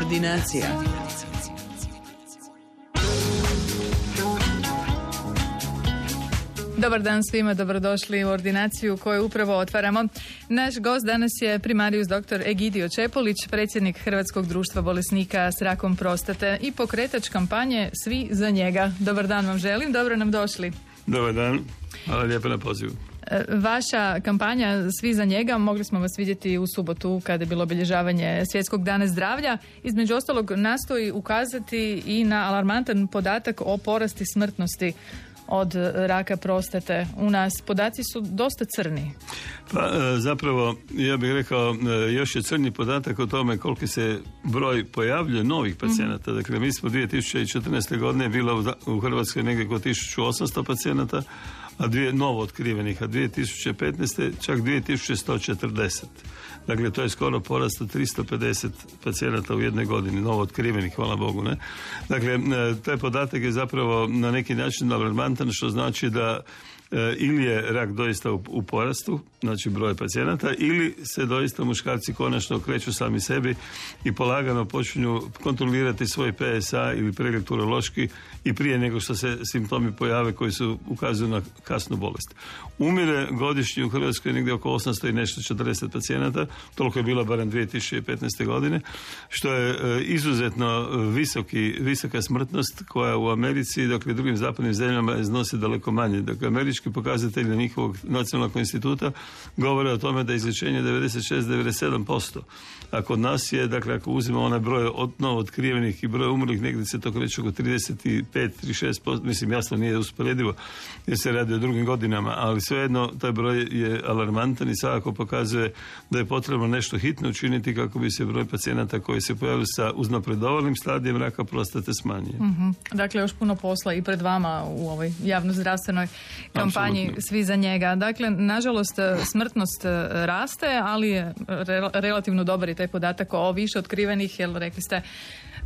Ordinacija. Dobar dan svima, dobrodošli u ordinaciju koju upravo otvaramo. Naš gost danas je primarijus dr. Egidio Čepolić, predsjednik Hrvatskog društva bolesnika s rakom prostate i pokretač kampanje Svi za njega. Dobar dan vam želim, dobro nam došli. Dobar dan, hvala lijepo na pozivu. Vaša kampanja Svi za njega, mogli smo vas vidjeti u subotu kada je bilo obilježavanje Svjetskog dana zdravlja. Između ostalog nastoji ukazati i na alarmantan podatak o porasti smrtnosti od raka prostate u nas. Podaci su dosta crni. Pa zapravo, ja bih rekao, još je crni podatak o tome koliki se broj pojavljuje novih pacijenata. Dakle, mi smo 2014. godine bilo u Hrvatskoj negdje oko 1800 pacijenata, a novo otkrivenih, a 2015. čak 2140. Dakle, to je skoro porast od 350 pacijenata u jednoj godini, novo otkrivenih, hvala Bogu, ne? Dakle, taj podatak je zapravo na neki način alarmantan, što znači da ili je rak doista u porastu, znači broj pacijenata, ili se doista muškarci konačno okreću sami sebi i polagano počinju kontrolirati svoj PSA ili pregled urološki i prije nego što se simptomi pojave koji su ukazuju na kasnu bolest. Umire godišnje u Hrvatskoj negdje oko 800 i nešto 40 pacijenata, toliko je bilo barem 2015. godine, što je izuzetno visoka smrtnost koja u Americi, dakle drugim zapadnim zemljama iznosi daleko manje. Dakle, američki pokazatelji njihovog nacionalnog instituta govore o tome da je izlječenje 96-97%. A kod nas je, dakle, ako uzimamo onaj broj novo otkrivenih i broj umrlih, negdje se to kreće oko 35-36%, mislim jasno nije usporedivo jer se radi o drugim godinama, ali svejedno taj broj je alarmantan i svakako pokazuje da je potrebno nešto hitno učiniti kako bi se broj pacijenata koji se pojavili sa uznapredovalim stadijem raka prostate smanjio. Dakle, još puno posla i pred vama u ovoj javnozdravstvenoj kampanji Absolutno. Svi za njega. Dakle, nažalost, smrtnost raste, ali je relativno dobar i taj podatak o više otkrivenih, jer rekli ste,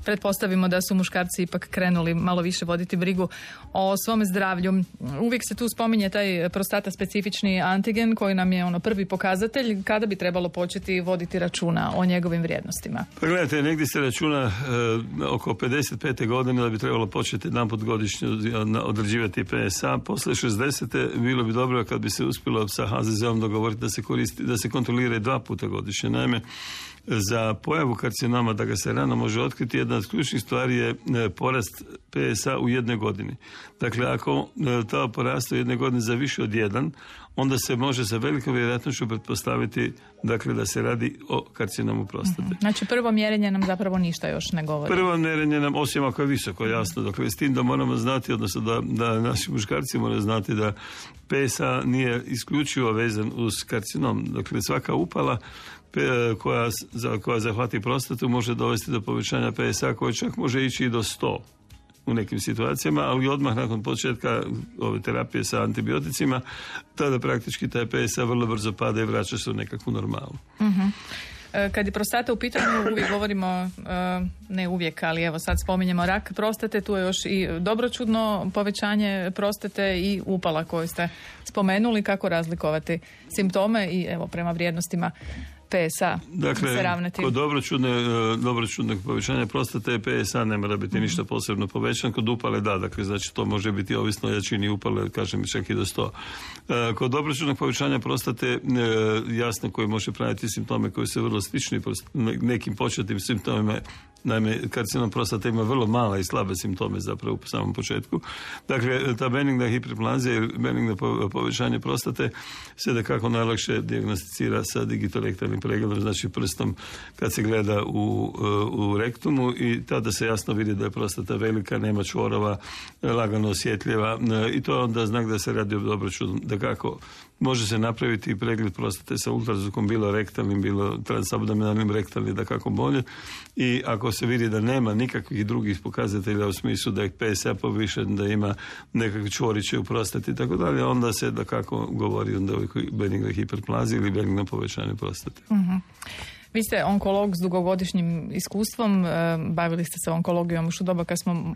pretpostavimo da su muškarci ipak krenuli malo više voditi brigu o svome zdravlju. Uvijek se tu spominje taj prostata specifični antigen koji nam je prvi pokazatelj. Kada bi trebalo početi voditi računa o njegovim vrijednostima? Pa gledajte, negdje se računa oko 55. godine da bi trebalo početi jedanput godišnje određivati PSA. Posle 60. bilo bi dobro kad bi se uspjelo sa HZZ-om dogovoriti da se kontrolira dva puta godišnje. Naime, za pojavu karcinoma, da ga se rano može otkriti, jedna od ključnih stvari je porast PSA u jednoj godini. Dakle, ako to poraste u jednoj godini za više od 1, onda se može sa velikom vjerojatnošću pretpostaviti, dakle, da se radi o karcinomu prostate. Znači, prvo mjerenje nam zapravo ništa još ne govori. Prvo mjerenje nam, osim ako je visoko, jasno. Dakle, s tim da moramo znati, odnosno da naši muškarci moraju znati da PSA nije isključivo vezan uz karcinom. Dakle, svaka upala koja zahvati prostatu može dovesti do povećanja PSA koje čak može ići i do 100 u nekim situacijama, ali odmah nakon početka ove terapije sa antibioticima, tada praktički taj PSA vrlo brzo pada i vraća se u nekakvu normalu. Kad je prostata u pitanju, uvijek govorimo, ne uvijek, ali evo sad spominjemo rak prostate, tu je još i dobročudno povećanje prostate i upala koju ste spomenuli. Kako razlikovati simptome i evo prema vrijednostima PSA, dakle, se ravnati? Kod dobročudnog povećanja prostate PSA ne mora biti ništa posebno povećan, kod upale da, dakle, znači to može biti ovisno o jačini upale, kažem čak i do 100. Kod dobročudnog povećanja prostate, jasno, koji može pratiti simptome koji su vrlo slični nekim početnim simptomima. Naime, karcinom prostate ima vrlo mala i slabe simptome zapravo u samom početku. Dakle, ta benigna hiperplazija ili benigno povećanje prostate se da kako najlakše dijagnosticira sa digitorektalnim pregledom, znači prstom kad se gleda u rektumu i tada se jasno vidi da je prostata velika, nema čvorova, lagano osjetljiva i to je onda znak da se radi o dobročudnom. Da kako može se napraviti pregled prostate sa ultrazvukom, bilo rektalnim, bilo transabdominalnim, rektalnim, da kako bolje. I ako se vidi da nema nikakvih drugih pokazatelja u smislu da je PSA povišen, da ima nekakve čvoriće u prostati i tako dalje, onda se da kako govori onda o benignoj hiperplaziji ili benignom povećanju prostate. Vi ste onkolog s dugogodišnjim iskustvom, bavili ste se onkologijom još u doba kad smo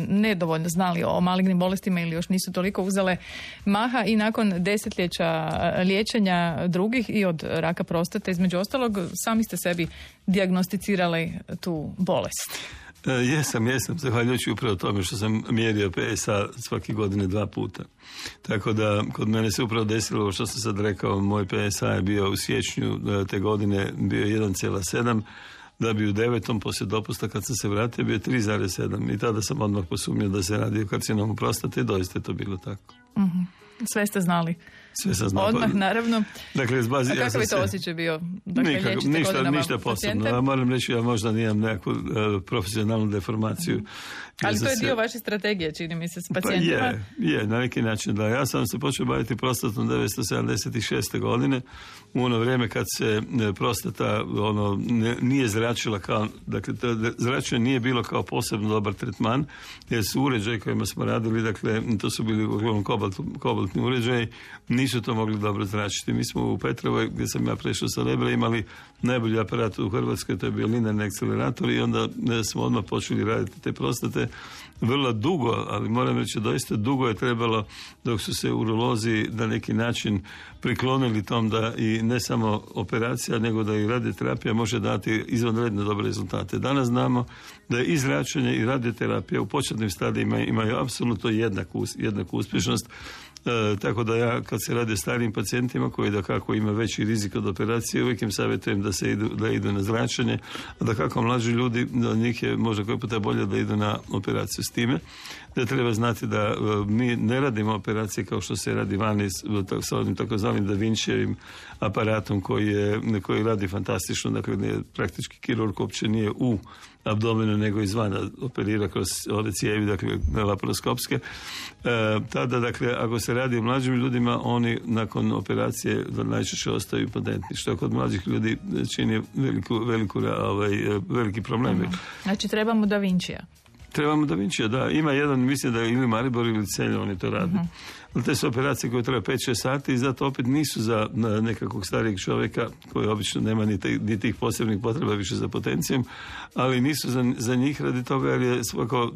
nedovoljno znali o malignim bolestima ili još nisu toliko uzele maha i nakon desetljeća liječenja drugih i od raka prostate, između ostalog, sami ste sebi dijagnosticirali tu bolest. Jesam, zahvaljujući upravo tome što sam mjerio PSA svake godine 2 puta. Tako da kod mene se upravo desilo što sam sad rekao, moj PSA je bio u siječnju te godine bio 1,7, da bi u 9. poslije dopusta kad sam se vratio bio 3,7 i tada sam odmah posumnio da se radi o karcinomu prostate i doista je to bilo tako. Mm-hmm. Sve ste znali. Sve sam znao. Odmah, naravno. Dakle, a kakav je to osjećaj bio? Dakle, ništa posebno. Ja moram reći, ja možda nimam nekakvu profesionalnu deformaciju. Ali to je dio vaše strategije, čini mi se, s pacijentima. Je, na neki način da. Ja sam se počeo baviti prostatom 1976. godine, u ono vrijeme kad se prostata nije zračila kao, dakle, zračenje nije bilo kao posebno dobar tretman, jer su uređaji kojima smo radili, dakle, to su bili uglavnom kobaltni uređaji, nisu to mogli dobro zračiti. Mi smo u Petrovoj, gdje sam ja prešao sa Lebra, imali najbolji aparat u Hrvatskoj, to je bio linearni akcelerator i onda smo odmah počeli raditi te prostate. Vrlo dugo, ali moram reći doista dugo je trebalo dok su se urolozi na neki način priklonili tom da i ne samo operacija, nego da i radioterapija može dati izvanredne dobre rezultate. Danas znamo da je i zračenje i radioterapija u početnim stadijima imaju apsolutno jednaku uspješnost. Tako da ja kad se radi o starijim pacijentima koji da kako ima veći rizik od operacije, uvijek im savjetujem da idu na zračenje, a da kako mlađi ljudi, da njih je možda koji puta bolje da idu na operaciju s time. Da treba znati da mi ne radimo operacije kao što se radi vani sa onim takozvanim Da Vinčijevim aparatom koji radi fantastično, dakle praktički kirurg uopće nije u abdomenu nego izvana operira kroz ove cijevi, dakle laparoskopske. Tada, dakle, ako se radi o mlađim ljudima, oni nakon operacije najčešće ostaju impotentni, što kod mlađih ljudi čini veliki problem. Znači trebamo Da Vinčija. Trebamo Da Vinčija, da. Ima jedan, mislim da je ili Maribor ili Celje, oni to radi. Ali te su operacije koje treba 5-6 sati i zato opet nisu za nekakvog starijeg čovjeka koji obično nema ni tih posebnih potreba više za potencijom, ali nisu za njih radi toga jer je svako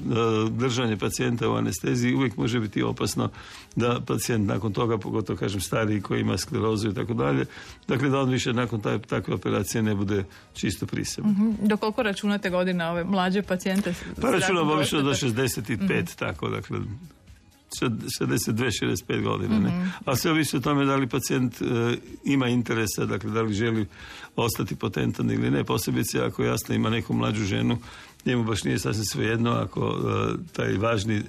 držanje pacijenta u anesteziji uvijek može biti opasno da pacijent nakon toga, pogotovo kažem stariji koji ima sklerozu i tako dalje, dakle da on više nakon takve operacije ne bude čisto pri sebi. Do koliko računate godina ove mlađe pacijente? Pa računamo obično do 65, tako, dakle 62-65 godina. Ne? A sve ovisi o tome da li pacijent ima interesa, dakle da li želi ostati potentan ili ne, posebice ako jasno ima neku mlađu ženu, njemu baš nije sasvim svejedno ako taj važni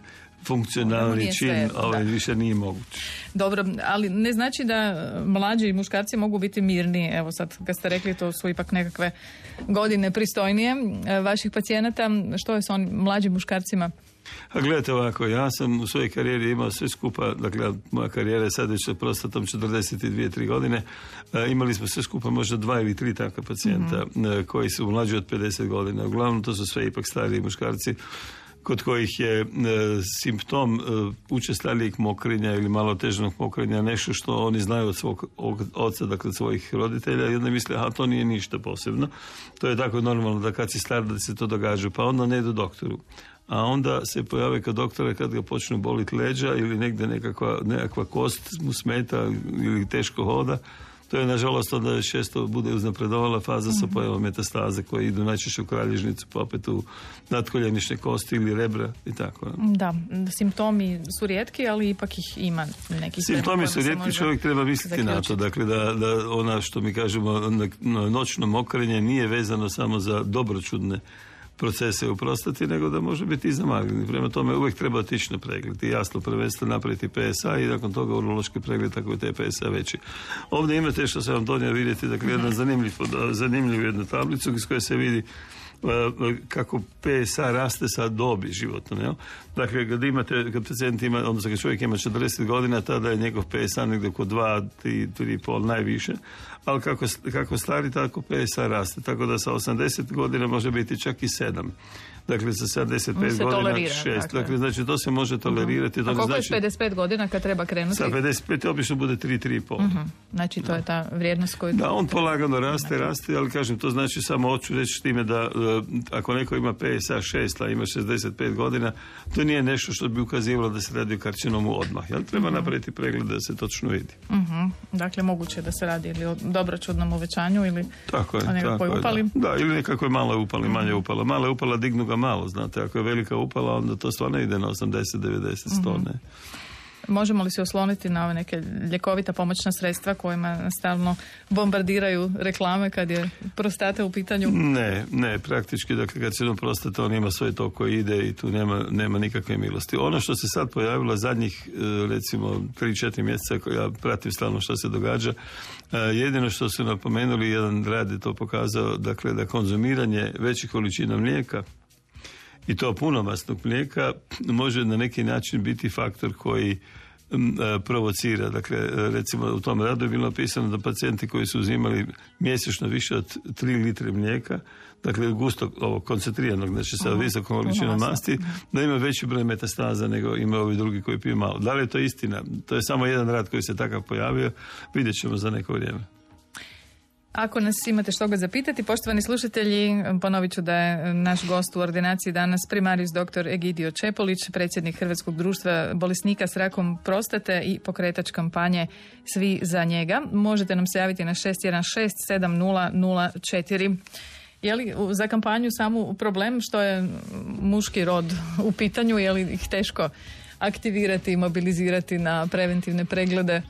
funkcionalni čin više nije moguć. Dobro, ali ne znači da mlađi muškarci mogu biti mirni. Evo sad kad ste rekli to su ipak nekakve godine pristojnije vaših pacijenata. Što je s onim mlađim muškarcima? A gledajte ovako, ja sam u svojoj karijeri imao sve skupa, dakle moja karijera je sad već sa prostatom 42-3 godine, imali smo sve skupa možda 2 ili 3 takva pacijenta koji su mlađi od 50 godina. Uglavnom to su sve ipak stariji muškarci kod kojih je simptom učestalijeg mokrenja ili malo težnog mokrenja nešto što oni znaju od svog oca, dakle svojih roditelja, i onda misle, a to nije ništa posebno. To je tako normalno da kad si star da se to događa, pa onda ne idu doktoru. A onda se pojave kod doktora kad ga počnu boliti leđa ili negdje nekakva kost mu smeta ili teško hoda. To je, nažalost, onda često bude uznapredovala faza sa pojavom metastaze koje idu najčešće u kralježnicu, pa opet u natkoljenične kosti ili rebra i tako. Da, simptomi su rijetki, ali ipak ih ima neki. Simptomi su rijetki, čovjek treba misliti na to. Dakle, da ona što mi kažemo noćno mokrenje nije vezano samo za dobročudne procese u prostati, nego da može biti i za maligni. Prema tome uvijek treba otići na pregled i jasno prvenstveno napraviti PSA i nakon toga urološki pregled ako je taj PSA veći. Ovdje imate što sam vam donio vidjeti, dakle jedan zanimljivu jednu tablicu iz koje se vidi kako PSA raste sa dobi životno. Ne? Dakle, kad pacijent ima, odnosno kad čovjek ima 40 godina, tada je njegov PSA negdje oko 2, 3,5 najviše, ali kako stari, tako PSA raste. Tako da sa 80 godina može biti čak i 7. dakle sa 75 godina 6. Dakle, znači to se može tolerirati. A koliko je 55 godina kad treba krenuti? Sa 55 obično bude 3,5. Znači to je ta vrijednost koju... Da, on polagano raste, ali kažem, to znači samo hoću reći time da ako neko ima PSA 6, a ima 65 godina, to nije nešto što bi ukazivalo da se radi o karcinomu odmah. Jel? Treba napraviti pregled da se točno vidi. Dakle, moguće da se radi ili o dobročudnom uvećanju ili o nekakvoj upali. Da, ili nekakvoj maloj upali, manje upala. Mala upala dignu ga malo, znate. Ako je velika upala, onda to stvarno ide na 80, 90, 100, ne. Možemo li se osloniti na ove neke ljekovita pomoćna sredstva kojima stalno bombardiraju reklame kad je prostata u pitanju? Ne, praktički, dakle, kad se jednom prostata, on ima svoje to koje ide i tu nema nikakve milosti. Ono što se sad pojavilo zadnjih, recimo, 3-4 mjeseca, koja ja pratim stalno što se događa, jedino što su napomenuli, jedan rad je to pokazao, dakle, da konzumiranje većih količina mlijeka i to punomasnog mlijeka može na neki način biti faktor koji provocira. Dakle, recimo u tom radu je bilo napisano da pacijenti koji su uzimali mjesečno više od 3 litre mlijeka, dakle gustog, ovog koncentriranog, znači sa visokom količinom masti, da ima veći broj metastaza nego ima ovi drugi koji piju malo. Da li je to istina? To je samo jedan rad koji se takav pojavio, vidjet ćemo za neko vrijeme. Ako nas imate što ga zapitati, poštovani slušatelji, ponovit ću da je naš gost u ordinaciji danas primarijus dr. Egidio Čepolić, predsjednik Hrvatskog društva bolesnika s rakom prostate i pokretač kampanje Svi za njega. Možete nam se javiti na 616-7004. Je li za kampanju samu problem što je muški rod u pitanju, je li ih teško aktivirati i mobilizirati na preventivne preglede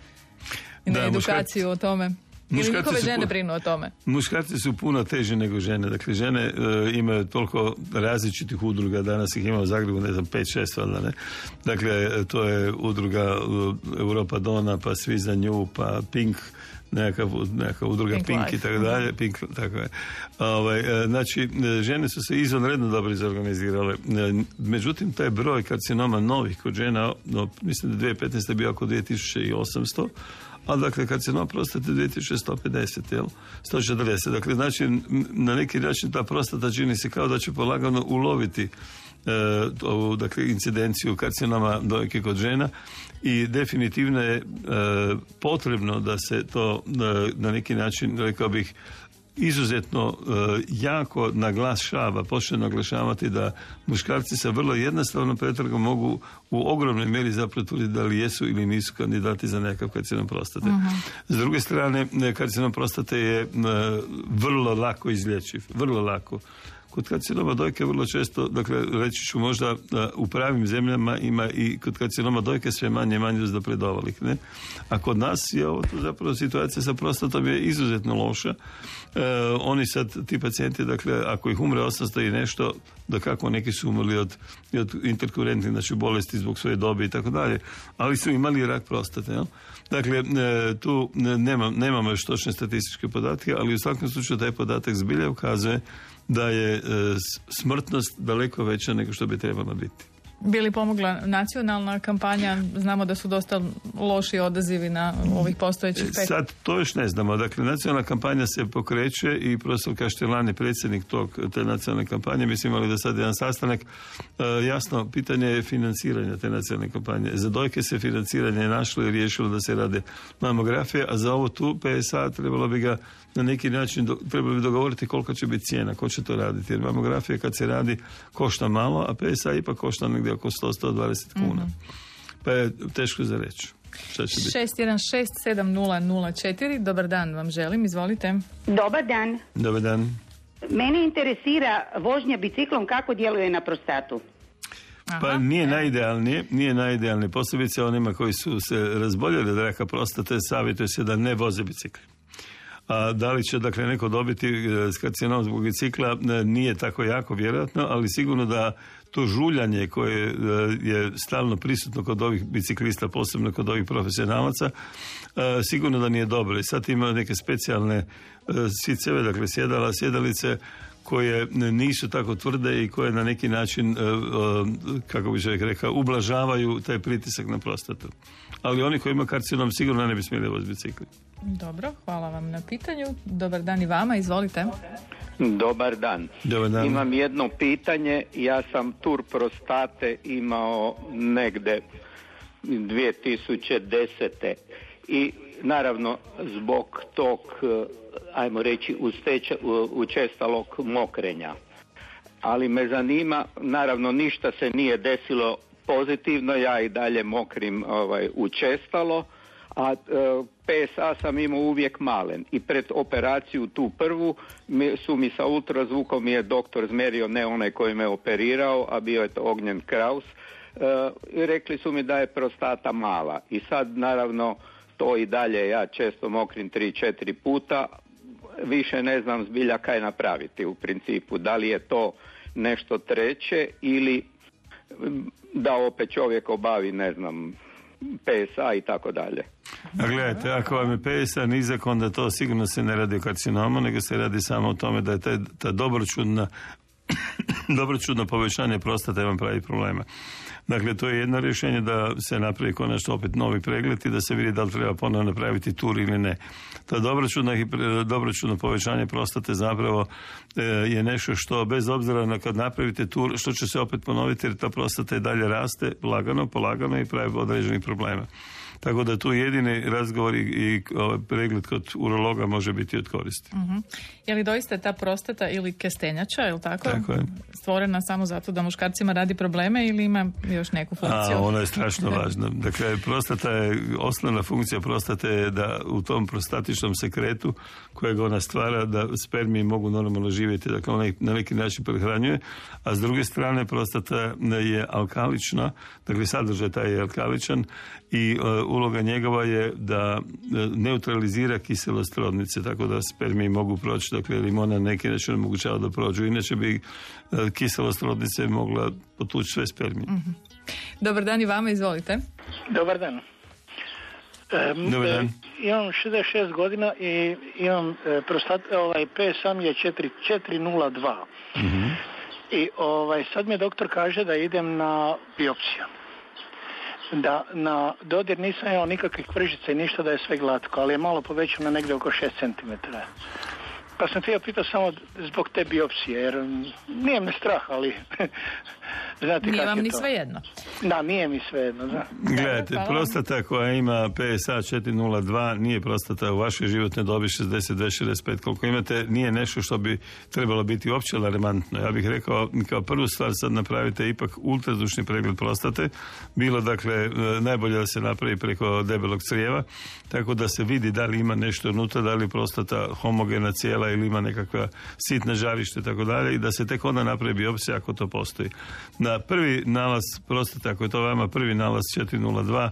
i na edukaciju o tome? Ili njihove žene brinu o tome? Muškarci su puno teži nego žene. Dakle, žene imaju toliko različitih udruga. Danas ih ima u Zagrebu, 5-6 valjda, ne? Dakle, to je udruga Europa Dona, pa Svi za nju, pa Pink, neka udruga Pink i tako dalje. Pink, tako je. Znači, žene su se izvanredno dobro izorganizirale. Međutim, taj broj karcinoma novih kod žena, mislim da 2015. je bio oko 2800, a dakle karcinom prostate 2150, jel? 140. Dakle, znači, na neki način ta prostata čini se kao da će polagano uloviti ovu, dakle, incidenciju karcinoma dojke kod žena i definitivno je potrebno da se to na neki način, rekao bih, izuzetno jako naglašava, počne naglašavati da muškarci sa vrlo jednostavnom pretragom mogu u ogromnoj mjeri zapravo tvrditi da li jesu ili nisu kandidati za nekakav karcinom prostate. S druge strane, karcinom prostate je vrlo lako izlječiv, vrlo lako. Kod karcinoma dojke vrlo često, dakle, reći ću možda u pravim zemljama ima i kod karcinoma dojke sve manje i manje uznapredovanih, ne? A kod nas je ovo tu zapravo situacija sa prostatom je izuzetno loša. Oni sad, ti pacijenti, dakle, ako ih umre 800 i nešto, da kako neki su umrli od interkurentnih, znači bolesti zbog svoje dobi i tako dalje, ali su imali rak prostate, jel? Dakle, tu nemamo još točne statističke podatke, ali u svakom slučaju taj podatak zbilja ukazuje da je smrtnost daleko veća nego što bi trebala biti. Bi li pomogla nacionalna kampanja? Znamo da su dosta loši odazivi na ovih postojećih 5. Sad to još ne znamo. Dakle, nacionalna kampanja se pokreće i profesor Kaštelan je predsjednik te nacionalne kampanje. Mi smo imali do sad jedan sastanak. Jasno, pitanje je financiranja te nacionalne kampanje. Za dojke se financiranje našlo i riješilo da se rade mamografije, a za ovo tu PSA trebalo bi ga na neki način trebalo bi dogovoriti koliko će biti cijena, ko će to raditi. Jer mamografija kad se radi košta malo, a PSA ipak košta negdje oko 100-120 kuna. Pa je teško za reći. 616-7004. Dobar dan vam želim, izvolite. Dobar dan. Dobar dan. Mene interesira vožnja biciklom kako djeluje na prostatu. Pa nije najidealnije. Posebice onima koji su se razboljeli od raka prostate, savjetuje se da ne voze bicikli. A da li će, dakle, neko dobiti karcinom zbog bicikla, nije tako jako vjerojatno, ali sigurno da to žuljanje koje je stalno prisutno kod ovih biciklista, posebno kod ovih profesionalaca, sigurno da nije dobro. I sad ima neke specijalne siceve, dakle sjedalice, koje nisu tako tvrde i koje na neki način, kako bi čovjek rekao, ublažavaju taj pritisak na prostatu. Ali oni koji imaju karcinom sigurno ne bi smjeli voziti bicikli. Dobro, hvala vam na pitanju. Dobar dan i vama, izvolite. Dobar dan. Dobar dan. Imam jedno pitanje. Ja sam tur prostate imao negde 2010. I naravno zbog tog, ajmo reći, učestalog mokrenja. Ali me zanima, naravno ništa se nije desilo pozitivno, ja i dalje mokrim učestalo, a PSA sam imao uvijek malen i pred operaciju tu prvu su mi sa ultrazvukom mi je doktor zmerio, ne onaj koji me operirao, a bio je to Ognjen Kraus, i rekli su mi da je prostata mala i sad naravno to i dalje ja često mokrim 3-4 puta, više ne znam zbilja kaj napraviti u principu, da li je to nešto treće ili da opet čovjek obavi, ne znam, PSA i tako dalje. A gledajte, ako vam je PSA nizak, onda to sigurno se ne radi o karcinomu, nego se radi samo o tome da je ta dobročudno povećanje prostate vam pravi problema. Dakle, to je jedno rješenje da se napravi konačno opet novi pregled i da se vidi da li treba ponovno napraviti tur ili ne. To dobročudno povećanje prostate zapravo je nešto što bez obzira na kad napravite tur, što će se opet ponoviti jer ta prostata i dalje raste polagano i pravi određenih problema. Tako da tu jedini razgovor i pregled kod urologa može biti od koristi. Uh-huh. Je li doista ta prostata ili kestenjača, je li tako? Tako je. Stvorena samo zato da muškarcima radi probleme ili ima još neku funkciju? Ona je strašno važna. Dakle, prostata je, osnovna funkcija prostate je da u tom prostatičnom sekretu kojeg ona stvara, da spermiji mogu normalno živjeti, dakle ona ih na neki način prehranjuje, a s druge strane prostata je alkalična, dakle sadržaj taj je alkaličan i uloga njegova je da neutralizira kiselost rodnice, tako da spermiji mogu proći, dakle limona na neki način omogućava da prođu, inače bi kiselost rodnice mogla potući sve spermije. Mm-hmm. Dobar dan i vama, izvolite. Dobar dan. Dobar dan. Imam 66 godina i imam PSA mi je 402. Mm-hmm. I sad mi doktor kaže da idem na biopsiju. Da na dodir nisam imao nikakvih vržica i ništa, da je sve glatko, ali je malo povećano negdje oko 6 cm. Pa sam htio pitati samo zbog te biopsije, jer nije me strah, ali znate nije kako vam je ni to. svejedno. Da, nije mi svejedno, da. Gledajte, prostata koja ima PSA 402 nije prostata u vašoj životnoj dobi 62-65 koliko imate, nije nešto što bi trebalo biti uopće alarmantno. Ja bih rekao, kao prvu stvar sad napravite ipak ultrazvučni pregled prostate, bilo dakle najbolje da se napravi preko debelog crijeva, tako da se vidi da li ima nešto unutra, da li je prostata homogena cijela ili ima nekakva sitna žarište, tako dalje, i da se tek onda napravi biopsija ako to postoji. Na prvi nalaz prostate, ako je to vama prvi nalaz 402,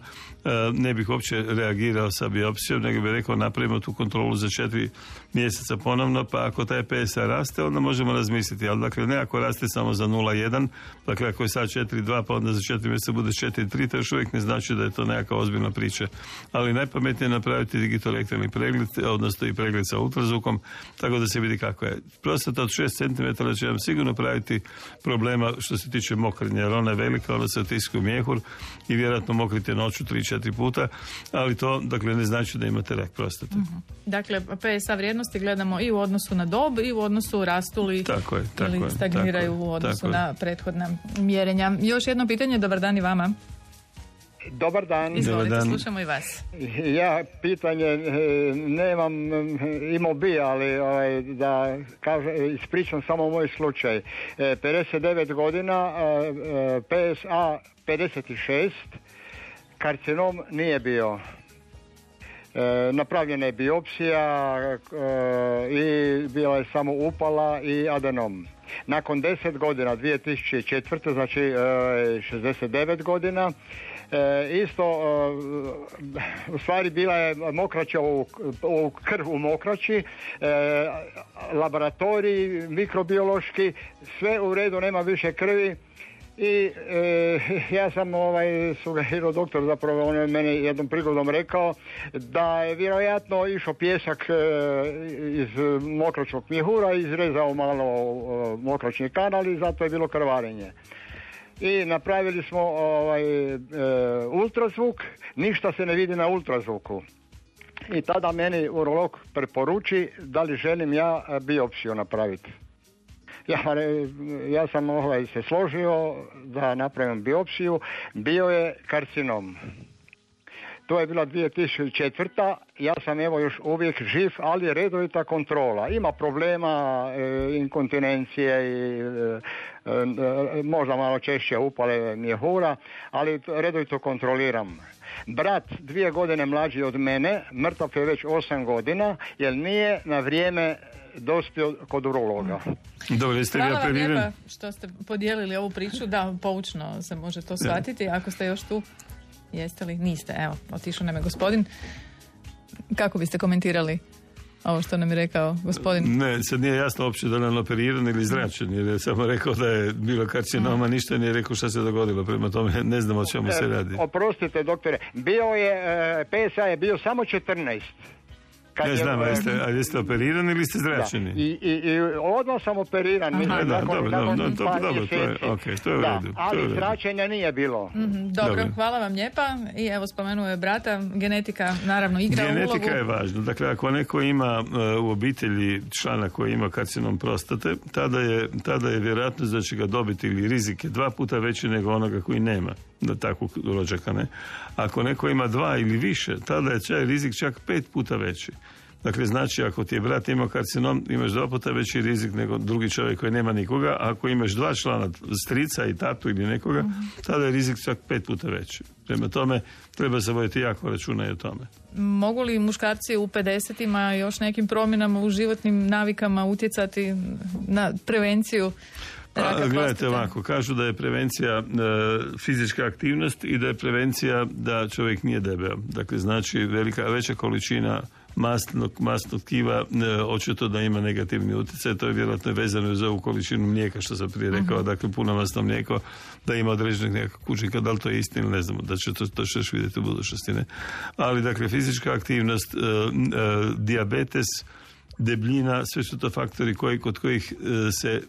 ne bih uopće reagirao sa biopsijom, nego bih rekao napravimo tu kontrolu za 4 mjeseca ponovno, pa ako taj PSA raste, onda možemo razmisliti, ali dakle ne ako raste samo za 0,1, dakle ako je sad 4,2 pa onda za 4 mjeseca bude 4,3, to još uvijek ne znači da je to nekakva ozbiljna priča. Ali najpametnije je napraviti digitalektralni pregled, odnosno i pregled sa ultrazvukom, tako da se vidi kako je. Prostata od 6 cm će vam sigurno praviti problema što se tiče mokrenja, jer ona je velika, ona se otiska u mjehur i vjerojatno mokrite noću 3-4 puta, ali to dakle ne znači da imate rak prostate. Uh-huh. Dakle, PSA vrijednosti gledamo i u odnosu na dob i u odnosu rastu li ili stagniraju u odnosu na prethodna mjerenja. Još jedno pitanje, dobar dan i vama. Dobar dan. Izvolite, slušamo i vas. Ja pitanje nemam, imao bi, ali da ispričam samo moj slučaj. 59 godina, PSA 56, karcinom nije bio. Napravljena je biopsija i bila je samo upala i adenom. Nakon 10 godina, 2004. znači 69 godina, isto u stvari bila je mokraća u krv u mokraći, laboratorij mikrobiološki, sve u redu, nema više krvi, I ja sam sugerirao doktor, zapravo on je meni jednom prigodom rekao da je vjerojatno išao pjesak iz mokračnog mjehura, izrezao malo mokračni kanal i zato je bilo krvarenje. I napravili smo ultrazvuk, ništa se ne vidi na ultrazvuku. I tada meni urolog preporuči da li želim ja biopsiju napraviti. Ja sam se složio da napravim biopsiju, bio je karcinom. To je bila 2004. Ja sam još uvijek živ, ali redovita kontrola. Ima problema, inkontinencije i možda malo češće upale mjehura, ali redovito kontroliram. Brat 2 godine mlađi od mene, mrtav je već 8 godina, jer nije na vrijeme dospio kod urologa. Dobro, jeste vi operirani? Hvala vam lijepa što ste podijelili ovu priču, da, poučno se može to shvatiti. Ako ste još tu, jeste li? Niste, evo, otišao nam je gospodin. Kako biste komentirali ovo što nam je rekao gospodin? Ne, sad nije jasno uopće da nam operiran ili zračen, jer je samo rekao da je bilo karcinoma, ništa nije rekao šta se dogodilo, prema tome ne znam o čemu se radi. Oprostite, doktore, PSA je bio samo 14. Ne znam, jeste operirani ili ste zračeni? I odmah sam operiran. To je u redu. Ali zračenja nije bilo. Dobro, hvala vam lijepa. I evo, spomenuo je brata, genetika naravno igra ulogu. Genetika je važna. Dakle, ako neko ima u obitelji člana koji ima karcinom prostate, tada je vjerojatnost da će ga dobiti ili rizik je 2 puta veći nego onoga koji nema takvog rođaka, ne? Ako neko ima 2 ili više, tada je taj rizik čak 5 puta veći. Dakle, znači, ako ti je brat imao karcinom, imaš 2 puta veći rizik nego drugi čovjek koji nema nikoga, a ako imaš 2 člana, strica i tatu ili nekoga, tada je rizik čak 5 puta veći. Prema tome, treba se voditi jako računa i o tome. Mogu li muškarci u 50-ima još nekim promjenama u životnim navikama utjecati na prevenciju? Gledajte ovako, kažu da je prevencija fizička aktivnost i da je prevencija da čovjek nije debeo. Dakle, znači veća količina masnog tkiva očito da ima negativni utjecaj. To je vjerojatno vezano za ovu količinu mlijeka što sam prije rekao, dakle puno masno mlijeko da ima određenih nekakvih učinka, da li to je istina, ne znamo, da će to što još vidjeti u budućnosti, ne? Ali dakle fizička aktivnost, dijabetes, debljina, sve su to faktori kod kojih se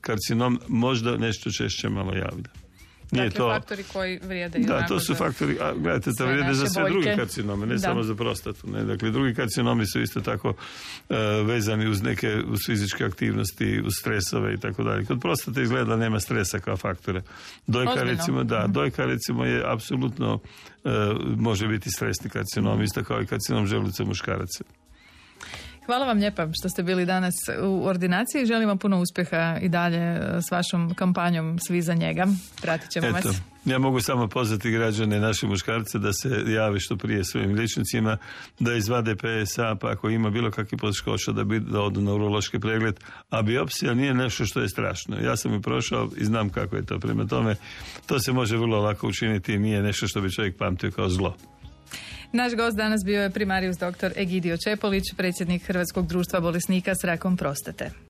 karcinom možda nešto češće malo javlja. Dakle, to faktori koji vrijede. Da, to su faktori, gledajte, to vrijede za sve druge karcinome, ne samo za prostatu. Ne? Dakle, drugi karcinomi su isto tako vezani uz neke uz fizičke aktivnosti, uz stresove i tako dalje. Kod prostate izgleda nema stresa kao faktore. Dojka recimo je apsolutno može biti stresni karcinom, isto kao i karcinom želuca muškaraca. Hvala vam lijepa što ste bili danas u ordinaciji. Želim vam puno uspjeha i dalje s vašom kampanjom Svi za njega. Pratit ćemo vas. Ja mogu samo pozvati građane, naše muškarce, da se jave što prije svojim liječnicima, da izvade PSA, pa ako ima bilo kakvih poteškoća da odu na urološki pregled, a biopsija nije nešto što je strašno. Ja sam i prošao i znam kako je to. Prema tome, to se može vrlo lako učiniti i nije nešto što bi čovjek pamtio kao zlo. Naš gost danas bio je primarijus dr. Egidio Čepolić, predsjednik Hrvatskog društva bolesnika s rakom prostate.